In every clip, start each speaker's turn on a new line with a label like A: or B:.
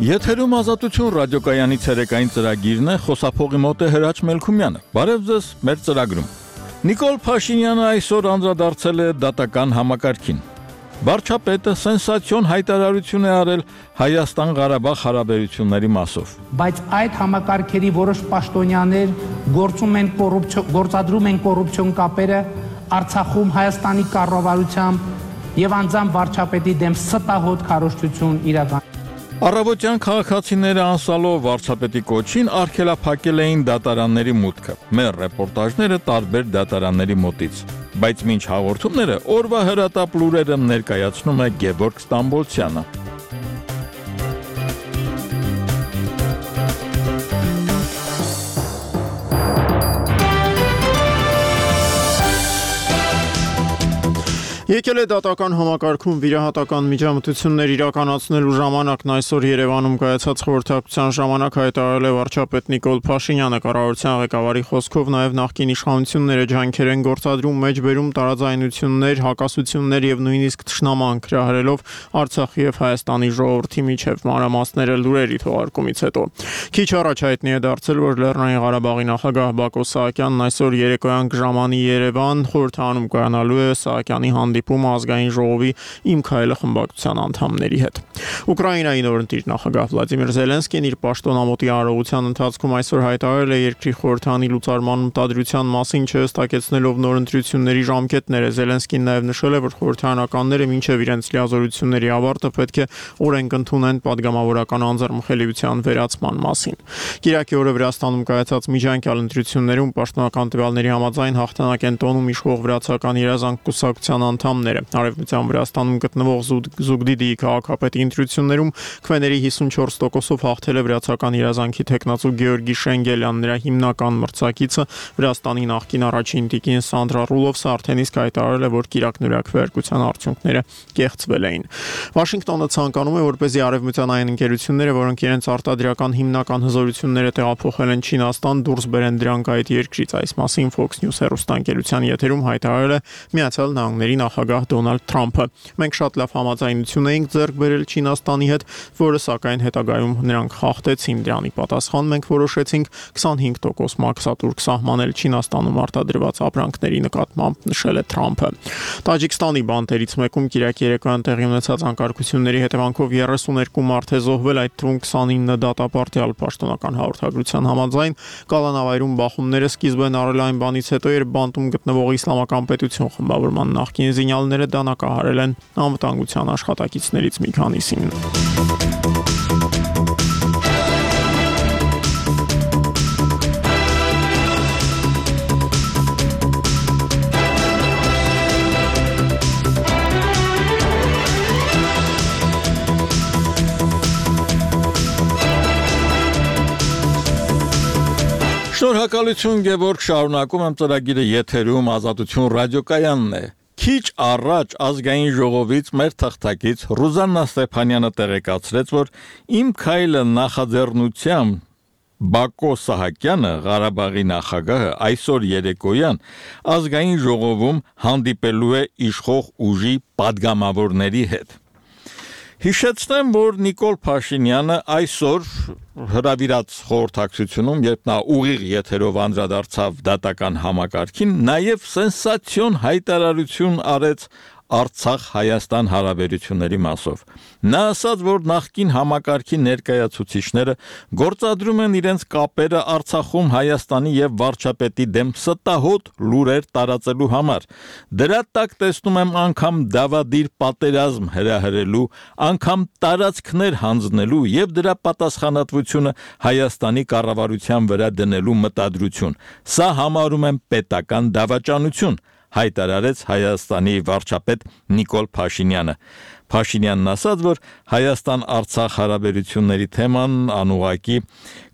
A: Եթերում ազատություն ռադիոկայանի ցերեկային ծրագիրն է, խոսափողի մոտ է Հրաչ Մելքումյանը։ Բարև ձեզ մեր ծրագրում։ Նիկոլ Փաշինյանը այսօր անդրադարձել է դատական համակարգին։ Վարչապետը սենսացիոն հայտարարություն է արել Հայաստան-Ղարաբաղ հարաբերությունների մասով։
B: Բայց այդ համակարգերի որոշ պաշտոնյաներ գործադրում են կոռուպցիոն կապերը Արցախում Հայաստանի կառավարությամբ եւ անձամբ վարչապետի դեմ ստահոդ քարոզչություն իրական։
A: Առավոտյան քաղաքացիները անսալով վարչապետի կոչին արգելափակել էին դատարանների մուտքը։ Մեր ռեպորտաժները տարբեր դատարանների մոտից։ Բայց մինչ հաղորդումները օրվա հրատապ լուրերը ներկայացնում է Գևորգ Ստամբոլցյանը։
C: Եկել է դատական համակարգում վիրահատական միջամտություններ իրականացնելու ժամանակն այսօր Երևանում կայացած խորհրդակցության ժամանակ հայտարարել է վարչապետ Նիկոլ Փաշինյանը կառավարության ղեկավարի խոսքով նաև նախկին իշխանությունները ջանքեր են գործադրում մեջբերում տարաձայնություններ, հակասություններ եւ նույնիսկ թշնամանք հրահրելով Արցախի եւ Հայաստանի ժողովրդի միջև մանրամասները լուրերի թողարկումից հետո։ Քիչ առաջ հայտնի է դարձել, որ Լեռնային Ղարաբաղի նախագահ Բակո Սահակյանն այսօր երեկոյան կժամանի Երևան խորհրդանում կայանալու է Սահակյանի հանդիպում ազգային ժողովի Իմ քայլը խմբակցության անդամների հետ։ Ուկրաինայի նորընտիր նախագահ Վլադիմիր Զելենսկին իր պաշտոնամոթի արարողության ընթացքում այսօր հայտարարել է երկրի խորհրդանի լուծարման մտադրության մասին չհստակեցնելով նորընտրությունների ժամկետները։ Զելենսկին նաև նշել է, որ խորհրդարանականները մինչև իրենց լիազորությունների ավարտը պետք է օրենք ընդունեն падգամավորական անձեռնխելիության վերացման մասին։ Կիրակի օրը Վրաստանում կայացած միջանկյալ ընտրություններում պաշտոնական տվյալների համաձայն հաղթանակ են տոնում իշխող վրացական երազանք կուսակցության անդամները։ Արևմտյան Վրաստանում գտնվող Զուգդիդիի քաղաքապետի ընտրություններում քվեների 54%-ով հաղթել է վրացական երազանքի թեկնածու Գեորգի Շենգելյան։ Նրա հիմնական մրցակիցը Վրաստանի նախկին առաջին տիկին Սանդրա Ռուլովսը արդեն իսկ հայտարարել է, որ կիրակնօրյա քվեարկության արդյունքները կեղծվել էին։ Վաշինգտոնը ցանկանում է, որպեսզի արևմտյան այն ընկերությունները, որոնք իրենց արտադրական հիմնական հզորությունները տեղափոխել են Չինաստան, դուրս բերեն դրանք այդ երկրից։ Այս մասին Fox News հեռուստաընկերության եթերում հայտարարել է Միացյալ Նահանգների նախագահ Դոնալդ Թրամփը։ Մենք շատ լավ համաձայնություն էինք ձեռք բերել Չինաստանի հետ, որը սակայն հետագայում նրանք խախտեցին։ Դրանի պատասխան մենք որոշեցինք 25% մաքսատուրք սահմանել Չինաստանում արտադրված ապրանքների նկատմամբ, նշել է Թրամփը։ Տաջիկստանի բանտերից մեկում կիրակի երեկոյան տեղի ունեցած անկարգությունների հետևանքով 32 մարդ է զոհվել, այդ թվում 29 դատապարտյալ։ Պաշտոնական հաղորդագրության համաձայն կալանավայրում բախումները սկիզբ են առել այն բանից հետո, երբ բանտում գտնվող իսլամական պետություն խմբավորման նախկին զինյալները դանակահարել են անվտանգության աշխատակիցներից մի քանիսին։
A: Շնորհակալություն Գևորգ, շարունակում եմ ծրագիրը եթերում ազատություն ռադիոկայանն է։ Քիչ առաջ ազգային ժողովից մեր թղթակից Ռուզաննա Ստեփանյանը տեղեկացրեց, որ Իմ քայլը նախաձեռնությամբ Բակո Սահակյանը, Ղարաբաղի նախագահը, այսօր երեկոյան ազգային ժողովում հանդիպելու է իշխող ուժի падգամավորների հետ։ Հիշեցնեմ, որ Նիկոլ Փաշինյանը այսօր հրավիրած խորհրդակցությունում, երբ նա ուղիղ եթերով անդրադարձավ դատական համակարգին, նաև սենսացիոն հայտարարություն արեց Արցախ-Հայաստան հարաբերությունների մասով։ Նա ասաց, որ նախկին համակարգի ներկայացուցիչները գործադրում են իրենց կապերը Արցախում Հայաստանի եւ վարչապետի դեմ ստահոդ լուրեր տարածելու համար։ Դրա տակ տեսնում եմ անգամ դավադիր պատերազմ հրահրելու, անգամ տարածքներ հանձնելու եւ դրա պատասխանատվությունը Հայաստանի կառավարության վրա դնելու մտադրություն։ Սա համարում եմ պետական դավաճանություն, հայտարարեց Հայաստանի վարչապետ Նիկոլ Փաշինյանը։ Փաշինյանն ասաց, որ Հայաստան-Արցախ հարաբերությունների թեման անուղղակի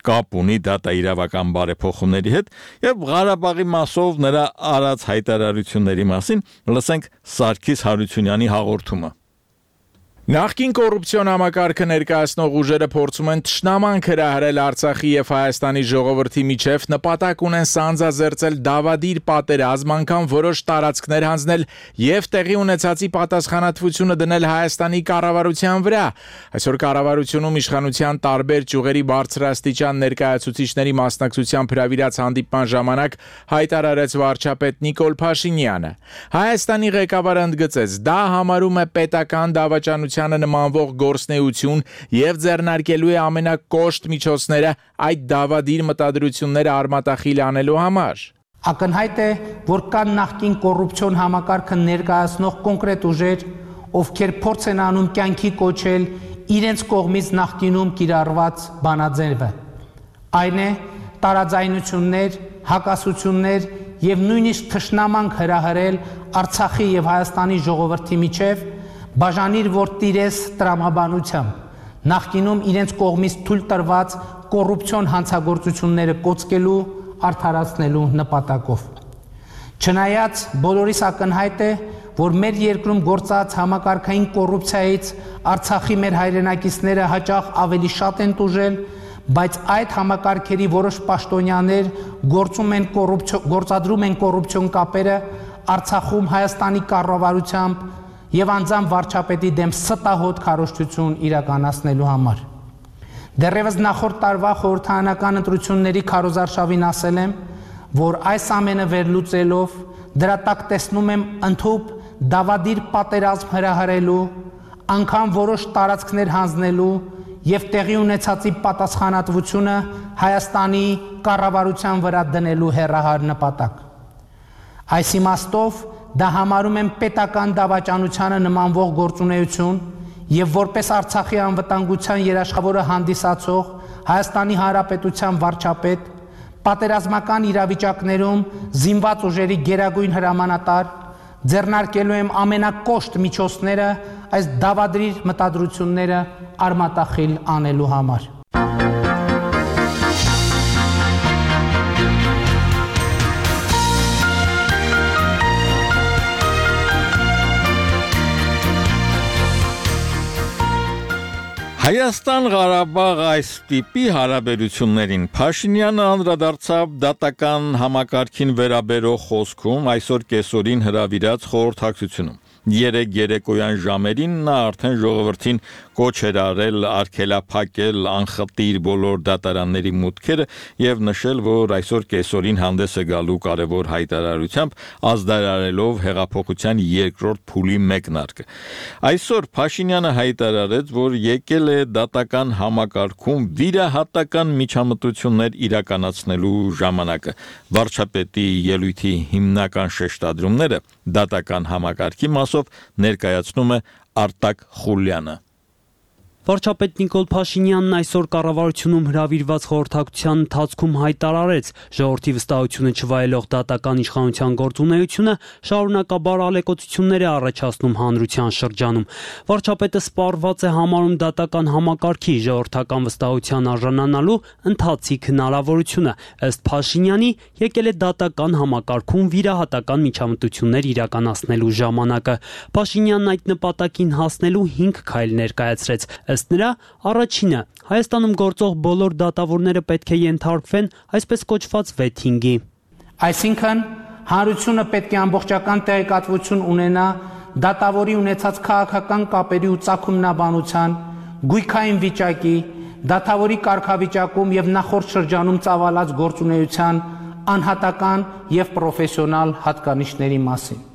A: կապ ունի դատաիրավական բարեփոխումների հետ եւ Ղարաբաղի մասով նրա արած հայտարարությունների մասին լսենք Սարգիս Հարությունյանի հաղորդումը։
D: Նախկին կոռուպցիոն համակարգը ներկայացնող ուժերը փորձում են թշնամանք հրահրել Արցախի եւ Հայաստանի ժողովրդի միջև, նպատակ ունեն սանձազերծել դավադիր պատերազմ, անգամ որոշ տարածքներ հանձնել եւ տեղի ունեցածի պատասխանատվությունը դնել Հայաստանի կառավարության վրա։ Այսօր կառավարությունում իշխանության տարբեր ճյուղերի բարձրաստիճան ներկայացուցիչների մասնակցությամբ հրավիրած հանդիպման ժամանակ հայտարարեց վարչապետ Նիկոլ Փաշինյանը։ Հայաստանի ղեկավարը ընդգծեց, դա համարում է պետական դավաճանության նմանվող գործնեություն եւ ձեռնարկելու է ամենակոշտ միջոցները այդ դավադիր մտադրությունները արմատախիլ անելու համար։
B: Ակնհայտ է, որ կան նախկին կոռուպցիոն համակարգը ներկայացնող կոնկրետ ուժեր, ովքեր փորձ են անում կյանքի կոչել իրենց կողմից նախկինում կիրառված բանաձևը։ Այն է տարաձայնություններ, հակասություններ եւ նույնիսկ թշնամանք հրահրել Արցախի եւ Հայաստանի ժողովրդի միջև, բաժանիր որ տիրես տրամաբանությամբ, նախկինում իրենց կողմից թույլ տրված կոռուպցիոն հանցագործությունները կոծկելու, արդարացնելու նպատակով։ Չնայած բոլորիս ակնհայտ է, որ մեր երկրում գործած համակարգային կոռուպցիայից Արցախի մեր հայրենակիցները հաճախ ավելի շատ են տուժել, բայց այդ համակարգերի որոշ պաշտոնյաներ գործադրում են կոռուպցիոն կապերը Արցախում Հայաստանի կառավարությամբ եւ անձամբ վարչապետի դեմ ստահոդ քարոզչություն իրականացնելու համար։ Դեռևս նախորդ տարվա խորհրդարանական ընտրությունների քարոզարշավին ասել եմ, որ այս ամենը վերլուծելով դրա տակ տեսնում եմ ընդհուպ դավադիր պատերազմ հրահրելու, անգամ որոշ տարածքներ հանձնելու եւ տեղի ունեցածի պատասխանատվությունը Հայաստանի կառավարության վրա դնելու հեռահար նպատակ։ Այս իմաստով դա համարում եմ պետական դավաճանությանը նմանվող գործունեություն եւ որպես Արցախի անվտանգության երաշխավորը հանդիսացող Հայաստանի Հանրապետության վարչապետ պատերազմական իրավիճակներում զինված ուժերի գերագույն հրամանատար ձեռնարկելու եմ ամենակոշտ միջոցները այս դավադրիր մտադրությունները արմատախիլ անելու համար։
A: Հայաստան-Ղարաբաղ այս տիպի հարաբերություններին Փաշինյանը անդրադարձավ դատական համակարգին վերաբերող խոսքում այսօր կեսօրին հրավիրած խորհրդակցությունում։ Երեկ երեկոյան ժամերին նա արդեն ժողովրդին կոչ էր արել արգելափակել անխտիր բոլոր դատարանների մուտքերը եւ նշել, որ այսօր կեսօրին հանդես է գալու կարևոր հայտարարությամբ ազդարարելով հեղափոխության երկրորդ փուլի մեկնարկը։ Այսօր Փաշինյանը հայտարարեց, որ եկել է դատական համակարգում վիրահատական միջամտություններ իրականացնելու ժամանակը։ Վարչապետի ելույթի հիմնական շեշտադրումները դատական համակարգի մասով ներկայացնում է Արտակ Խուլյանը։
E: Վարչապետ Նիկոլ Փաշինյանն այսօր կառավարությունում հրավիրված խորհրդակցության ընթացքում հայտարարեց, ժողովրդի վստահությունը չվայելող դատական իշխանության գործունեությունը շարունակաբար ալեկոծություններ է առաջացնում հանրության շրջանում։ Վարչապետը սպառված է համարում դատական համակարգի ժողովրդական վստահության արժանանալու ընթացիկ հնարավորությունը։ Ըստ Փաշինյանի, եկել է դատական համակարգում վիրահատական միջամտություններ իրականացնելու ժամանակը։ Փաշինյանն այդ նպատակին հասնելու 5 քայլ ներկայացրեց։ Ըստ նրա, առաջինը Հայաստանում գործող բոլոր դատավորները պետք է ենթարկվեն այսպես կոչված վեթինգի։
B: Այսինքն, հանրությունը պետք է ամբողջական տեղեկատվություն ունենա դատավորի ունեցած քաղաքական կապերի ու ծագումնաբանության, գույքային վիճակի, դատավորի կարգավիճակում եւ նախորդ շրջանում ծավալած գործունեության անհատական եւ պրոֆեսիոնալ հատկանիշների մասին։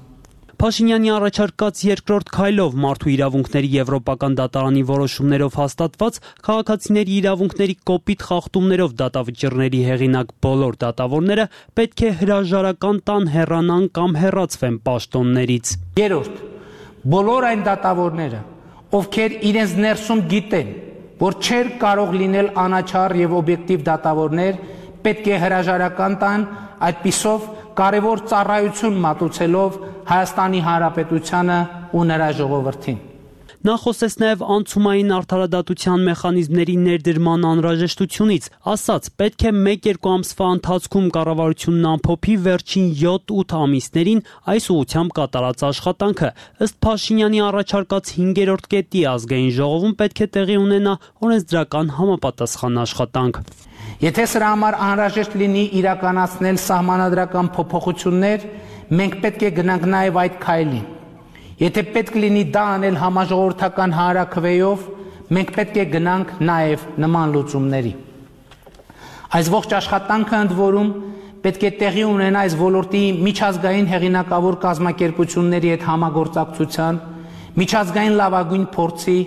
E: Փաշինյանի առաջարկած երկրորդ քայլով մարդու իրավունքների եվրոպական դատարանի որոշումներով հաստատված քաղաքացիների իրավունքների կոպիտ խախտումներով դատավճիռների հեղինակ բոլոր դատավորները պետք է հրաժարական տան, հեռանան կամ հեռացվեն պաշտոններից։
B: Երրորդ, բոլոր այն դատավորները, ովքեր իրենց ներսում գիտեն, որ չէր կարող լինել անաչառ եւ օբյեկտիվ դատավորներ, պետք է հրաժարական տան, այդպիսով կարևոր ծառայություն մատուցելով Հայաստանի Հանրապետությանը ու նրա ժողովրդին։
E: Նա խոսեց նաև անցումային արդարադատության մեխանիզմների ներդրման անհրաժեշտությունից, ասաց, պետք է 1-2 ամսվա ընթացքում կառավարությունն ամփոփի վերջին 7-8 ամիսներին այս ուղղությամբ կատարած աշխատանքը։ Ըստ Փաշինյանի առաջարկած 5-րդ կետի ազգային ժողովում պետք է տեղի ունենա օրենսդրական համապատասխան աշխատանք։
B: Եթե սրա համար անհրաժեշտ լինի իրականացնել սահմանադրական փոփոխություններ, մենք պետք է գնանք նաև այդ քայլին։ Եթե պետք լինի դա անել համաժողովրդական հանրաքվեով, մենք պետք է գնանք նաև նման լուծումների։ Այս ողջ աշխատանքը ընդ որում պետք է տեղի ունենա այս ոլորտի միջազգային հեղինակավոր կազմակերպությունների հետ համագործակցության, միջազգային լավագույն փորձի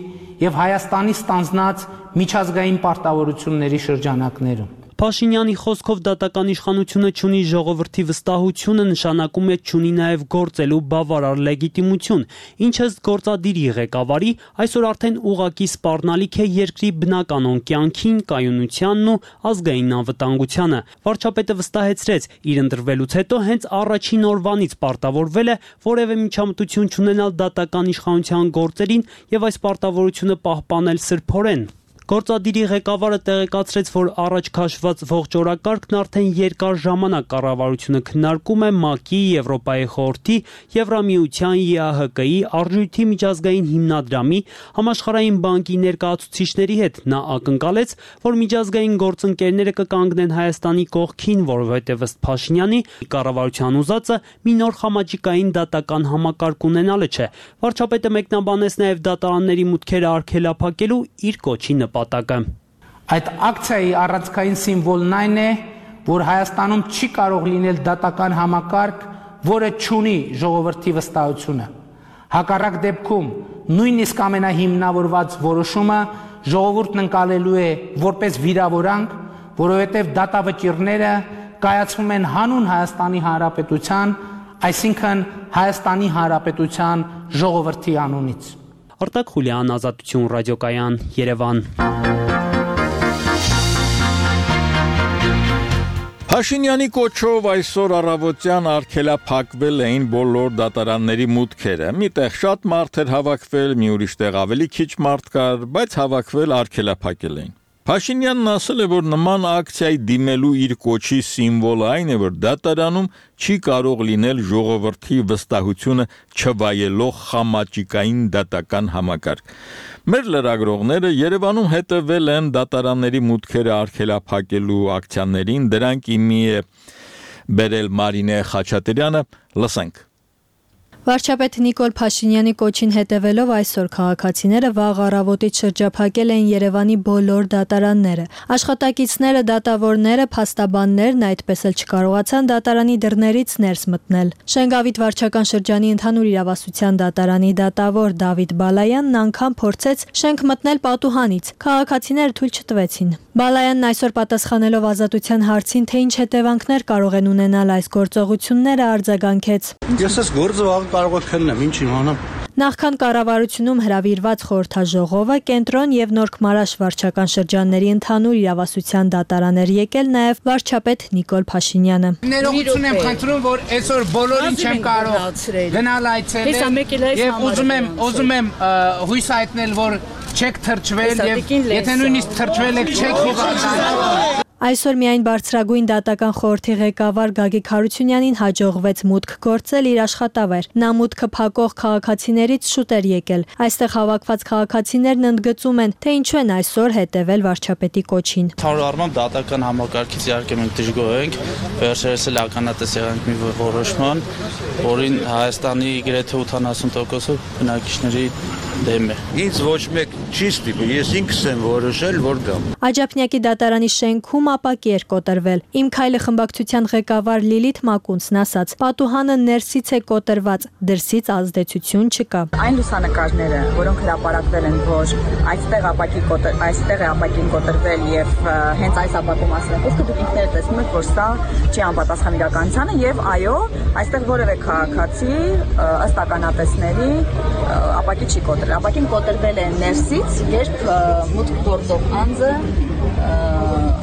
B: եւ Հայաստանի ստանձնած միջազգային պարտավորությունների շրջանակներում։
E: Փաշինյանի խոսքով դատական իշխանությունը չունի ժողովրդի վստահությունը, նշանակում է չունի նաև գործելու բավարար լեգիտիմություն, ինչը գործադիրի ղեկավարի այսօր արդեն ուղղակի սպառնալիք է երկրի բնականon կյանքին, կայունությանն ու ազգային անվտանգությանը։ Վարչապետը վստահեցրեց, իր ընտրվելուց հետո հենց առաջին օրվանից պարտավորվել է որևէ միջամտություն չունենալ դատական իշխանության գործերին եւ այս պարտավորությունը պահպանել սրբորեն։ Գործադիրի ղեկավարը տեղեկացրեց, որ առաջ քաշված ողջ օրակարգն արդեն երկար ժամանակ կառավարությունը քննարկում է ՄԱԿ-ի, Եվրոպայի խորհրդի, Եվրամիության, ԵԱՀԿ-ի, Արժույթի միջազգային հիմնադրամի, Համաշխարհային բանկի ներկայացուցիչների հետ։ Նա ակնկալեց, որ միջազգային գործընկերները կկանգնեն Հայաստանի կողքին, որովհետև ըստ Փաշինյանի կառավարության ուզածը մի նոր խամաճիկային դատական համակարգ ունենալը չէ։ Վարչապետը մեկնաբանեց նաև դատարանների մուտքերը արգելափակելու իր կոչի
B: Այդ ակցիայի առանցքային սիմվոլն այն է, որ Հայաստանում չի կարող լինել դատական համակարգ, որը չունի ժողովրդի վստահությունը։ Հակառակ դեպքում նույնիսկ ամենահիմնավորված որոշումը ժողովուրդն ընկալելու է որպես վիրավորանք, որովհետև դատավճիռները կայացվում են հանուն Հայաստանի Հանրապետության, այսինքն Հայաստանի Հանրապետության ժողովրդի անունից։
E: Արտակ Խուլյան, Ազատություն ռադիոկայան, Երևան։
A: Փաշինյանի կոչով այսօր առավոտյան արգելափակվել էին բոլոր դատարանների մուտքերը։ Միտեղ շատ մարդ էր հավաքվել, մի ուրիշ տեղ ավելի քիչ մարդ կար, բայց հավաքվել արգելափակել էին։ Փաշինյանն ասել է, որ նման ակցիայի դիմելու իր կոչի սիմվոլը այն է, որ դատարանում չի կարող լինել ժողովրդի վստահությունը չվայելող խամաճիկային դատական համակարգ։ Մեր լրագրողները Երևանում հետևել են դատարանների մուտքերը արգելափակելու ակցիաներին, դրանք իմի է բերել Մարինե Խաչատրյանը, լսենք։
F: Վարչապետ Նիկոլ Փաշինյանի կոչին հետևելով այսօր քաղաքացիները վաղ առավոտից շրջափակել էին Երևանի բոլոր դատարանները։ Աշխատակիցները, դատավորները, փաստաբաններն այդպես էլ չկարողացան դատարանի դռներից ներս մտնել։ Շենգավիթ վարչական շրջանի ընդհանուր իրավասության դատարանի դատավոր Դավիթ Բալայանն անգամ փորձեց շենք մտնել պատուհանից։ Քաղաքացիները թույլ չտվեցին։ Բալայանն այսօր պատասխանելով Ազատության հարցին, թե ինչ հետևանքներ կարող են ունենալ այս գործողությունները, արձագանքեց.
G: Ես այս գործը վաղ կարող եմ քննեմ, ինչ իմանամ։
F: Նախքան կառավարությունում հրավիրված խորհրդաժողովը կենտրոն եւ Նորք Մարաշ վարչական շրջանների ընդհանուր իրավասության դատարան էր եկել նաեւ վարչապետ Նիկոլ Փաշինյանը։
B: Ներողություն եմ խնդրում, որ այսօր բոլորին չեմ կարող գնալ այցելել եւ ուզում եմ հույս հայտնել, որ չեք թրջվել եւ եթե նույնիսկ թրջվել եք չեք հիվանդանալ։
F: Այսօր միայն բարձրագույն դատական խորհրդի ղեկավար Գագիկ Հարությունյանին հաջողվեց մուտք գործել իր աշխատավայր։ Նա մուտքը փակող քաղաքացիներից շուտ էր եկել։ Այստեղ հավաքված քաղաքացիներն ընդգծում են, թե ինչու են այսօր հետևել վարչապետի կոչին։
G: Ընդհանուր առմամբ դատական համակարգից իհարկե մենք դժգոհ ենք, վերջերս էլ ականատես եղանք մի որոշման, որին Հայաստանի գրեթե 80%-ը բնակիչների դեմ է։
H: Ինձ ոչ մեկ չի ստիպել, ես ինքս եմ որոշել, որ գամ։
F: Աջափնյակի դատարանի շենքում ապակի էր կոտրվել։ Իմ քայլը խմբակցության ղեկավար Լիլիթ Մակունցն ասաց. պատուհանը ներսից է կոտրված, դրսից ազդեցություն չկա։
I: Այն լուսանկարները, որոնք հրապարակվել են, որ այստեղ է ապակին կոտրվել եւ հենց այս ապակու մասին է խոսքը, դուք ինքներդ տեսնում եք, որ սա չի անպատասխան իրականությանը եւ այո, այստեղ որևէ քաղաքացի ըստ ականատեսների ապակի չի կոտրել։ Ապակին կոտրվել է ներսից, երբ մուտք գործող անձը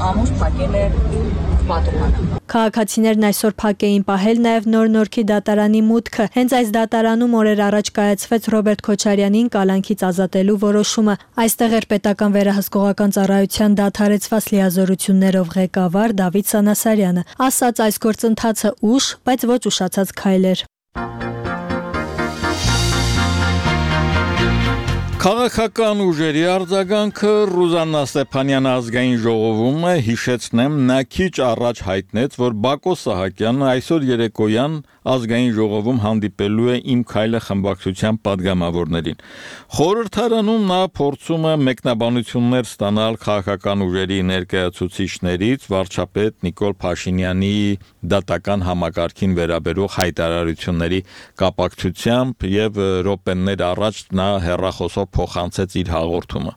I: ամուր փակել է պատուհանը։
F: Քաղաքացիներն այսօր փակ էին պահել նաև Նոր-Նորքի դատարանի մուտքը։ Հենց այս դատարանում օրեր առաջ կայացվեց Ռոբերտ Քոչարյանին կալանքից ազատելու որոշումը։ Այստեղ էր պետական վերահսկողական ծառայության դադարեցված լիազորություններով ղեկավար Դավիթ Սանասարյանը։ Ասաց այս գործընթացը ուշ, բայց ոչ ուշացած քայլ էր։
A: Քաղաքական ուժերի արձագանքը Ռուզաննա Ստեփանյանը ազգային ժողովում հիշեցնեմ նա քիչ առաջ հայտնեց, որ Բակո Սահակյանը այսօր երեկոյան ազգային ժողովում հանդիպելու է Իմ քայլը խմբակցության падգամավորներին։ Խորհրդարանում նա փորձում է մեկնաբանություններ ստանալ քաղաքական ուժերի ներկայացուցիչներից վարչապետ Նիկոլ Փաշինյանի դատական համակարգին վերաբերող հայտարարությունների կապակցությամբ եւ րոպեներ առաջ նա հեռախոսով փոխանցեց իր հաղորդումը։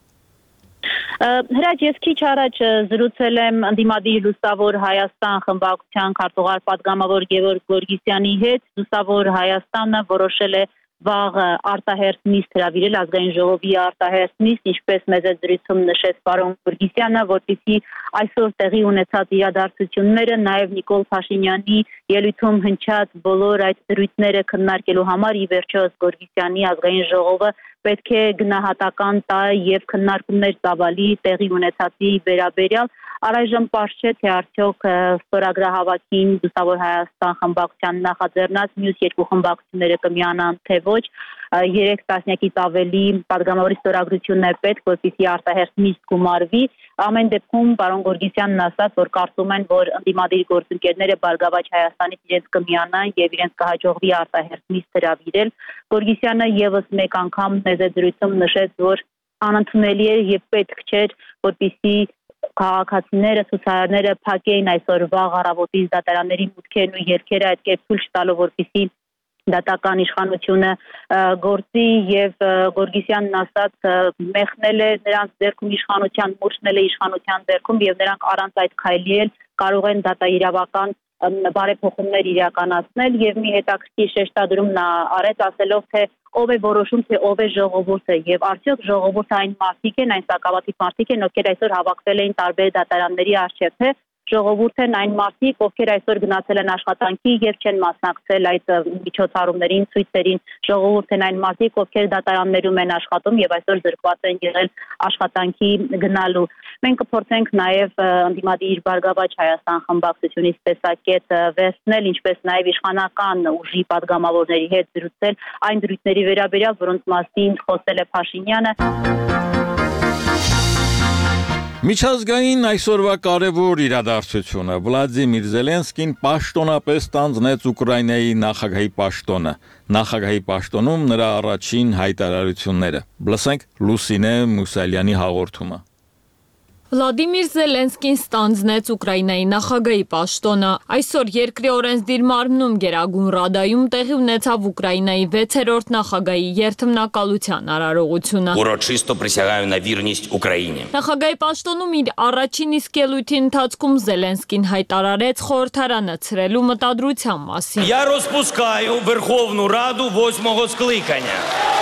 J: Հրաչ, ես քիչ առաջ զրուցել եմ ընդդիմադիր Լուսավոր Հայաստան խմբակցության քարտուղար падգամավոր Գևորգ Գորգիսյանի հետ։ Լուսավոր Հայաստանը որոշել է վաղ արտահերթ նիստ հրավիրել ազգային ժողովի արտահերթ նիստ, ինչպես մեծ զրույցում նշեց պարոն Գորգիսյանը, որպեսզի այսօր տեղի ունեցած իրադարձությունները, նաև Նիկոլ Փաշինյանի ելույթում հնչած բոլոր այդ դրույթները քննարկելու համար ի վերջո Գորգիսյանի ազգային ժողովը պետք է գնահատական տա եւ քննարկումներ ծավալի տեղի ունեցածի վերաբերյալ առայժմ պարզ չէ թե արդյոք ստորագրահավաքին Լուսավոր Հայաստան խմբակցության նախաձեռնած մյուս երկու խմբակցությունները կմիանան թե ոչ 3 տասնյակից ավելի падգամավորի ստորագրությունն է պետք, որպեսզի արտահերթ նիստ գումարվի։ Ամեն դեպքում պարոն Գորգիսյանն ասաց, որ կարծում են, որ ընդդիմադիր գործընկերները Բարգավաճ Հայաստանից իրենց կմիանան եւ իրենց կհաջողվի արտահերթ նիստ հրավիրել։ Գորգիսյանը եւս մեկ անգամ մեծ զրույցում նշեց, որ անընդունելի է եւ պետք չէր, որպեսզի քաղաքացիները, ցուցարարները փակեին այսօր վաղ առավոտից դատարանների մուտքերն ու ելքերը այդ կերպ ցույց տալով, որպեսզի դատական իշխանությունը գործի եւ Գորգիսյանն ասաց մեղնել է նրանց ձեռքում իշխանության, մուրշնել է իշխանության ձեռքում եւ նրանք առանց այդ քայլի էլ կարող են դատաիրավական բարեփոխումներ իրականացնել եւ մի հետաքրքիր շեշտադրում նա արեց ասելով թե ով է որոշում թե ով է ժողովուրդը եւ արդյոք ժողովուրդը այն մարդիկ են, այն սակավաթիվ մարդիկ են, ովքեր այսօր հավաքվել էին տարբեր դատարանների առջեւ, թե ժողովուրդն են այն մարդիկ, ովքեր այսօր գնացել են աշխատանքի եւ չեն մասնակցել այդ միջոցառումներին, ցույցերին, ժողովուրդն են այն մարդիկ, ովքեր դատարաններում են աշխատում եւ այսօր զրկված են եղել աշխատանքի գնալու։ Մենք կփորձենք նաեւ ընդդիմադիր Բարգավաճ Հայաստան խմբակցությունից տեսակետ վերցնել, ինչպես նաեւ իշխանական ուժի падգամավորների հետ զրուցել այն դրույթների վերաբերյալ, որոնց մասին խոսել է Փաշինյանը։
A: Միջազգային այսօրվա կարևոր իրադարձությունը Վլադիմիր Զելենսկին պաշտոնապես ստանձնեց Ուկրաինայի նախագահի պաշտոնը։ Նախագահի պաշտոնում նրա առաջին հայտարարությունները։ Լսենք Լուսինե Մուսալյանի հաղորդումը։
K: Վլադիմիր Զելենսկին ստանձնեց Ուկրաինայի նախագահի պաշտոնը։ Այսօր երկրի օրենսդիր մարմնում Գերագույն Ռադայում տեղի ունեցավ Ուկրաինայի 6-րդ նախագահի երթմնակալության արարողությունը։
L: Урочисто присягаю на вірність Україні։
K: Նախագահի պաշտոնում իր առաջին իսկ ելույթի ընթացքում Զելենսկին հայտարարեց խորհրդարանը ցրելու մտադրության մասին։
L: Я розпускаю Верховну Раду 8-го скликання։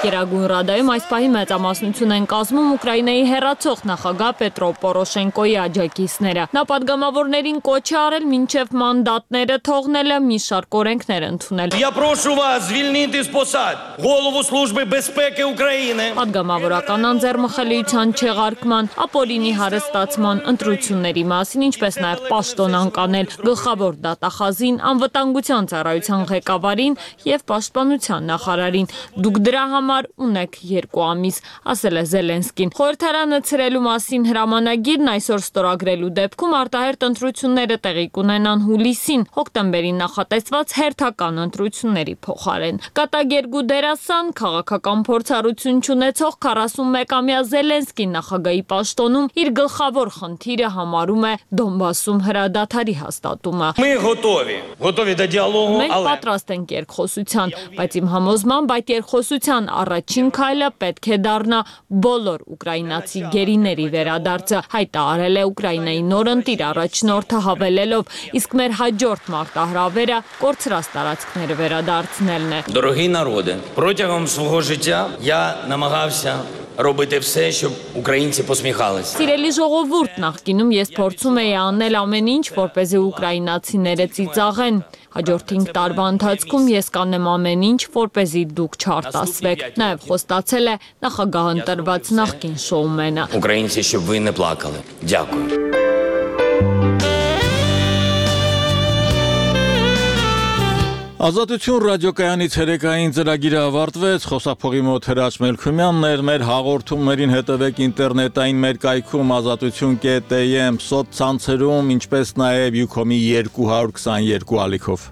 K: Գերագույն Ռադայում այս պահի մեծամասնություն են կազմում Ուկրաինայի հեռացող նախագահ Պետրո Պորոշենկոյի աջակիցները։ Նա падգամավորներին կոչ է արել մինչև մանդատները թողնելը մի շարք օրենքներ ընդունել։
L: Я прошу вас звільнити з посад голову Служби безпеки України։
K: Падգամավորական անձեռմխելիության չեղարկման, ապօրինի հարստացման, ընտրությունների մասին, ինչպես նաև պաշտոն անկանել գլխավոր դատախազին, անվտանգության ծառայության ղեկավարին եւ պաշտպանության նախարարին։ Դուք դրա ունեք 2 ամիս, ասել է Զելենսկին։ Խորհրդարանը ցրելու մասին հրամանագիրն այսօր ստորագրելու դեպքում արտահերթ ընտրությունները տեղի կունենան հուլիսին, հոկտեմբերին նախատեսված հերթական ընտրությունների փոխարեն։ Կատագերգու դերասան, քաղաքական փորձառություն չունեցող 41-ամյա Զելենսկին նախագահի պաշտոնում իր գլխավոր խնդիրը համարում է Դոնբասում հրադադարի հաստատումը։
L: Готові до դիալոգу,
K: Մենք պատրաստ ենք երկխոսության, բայց իմ համոզմամբ այդ երկխոսության առաջին քայլը պետք է դառնա բոլոր ուկրաինացի գերիների վերադարձը, հայտարարել է Ուկրաինայի նոր ընտիր առաջնորդը հավելելով, իսկ մեր հաջորդ մարտահրավերը կորցրած տարածքները վերադարձնելն է։
L: Дорогі народи, протягом свого життя я намагався робити все, щоб українці посміхалися.
K: Սիրելի ժողովուրդ, նախկինում ես փորձում էի անել ամեն ինչ, որպեսզի ուկրաինացիները ծիծաղեն։ Հաջորդ 5 տարվա ընթացքում ես կանեմ ամեն ինչ, որպեսզի դուք չարտասվեք։ Նաև խոստացել է նախագահ ընտրված նախկին շոումենը։
L: Українці, щоб ви не плакали. Дякую.
A: Ազատություն ռադիոկայանի ցերեկային ծրագիրը ավարտվեց, խոսափողի մոտ Հրաչ Մելքումյանն էր, մեր հաղորդումներին հետևեք ինտերնետային մեր կայքում azatutun.am, սոցցանցերում, ինչպես նաև Ucom-ի 222 ալիքով։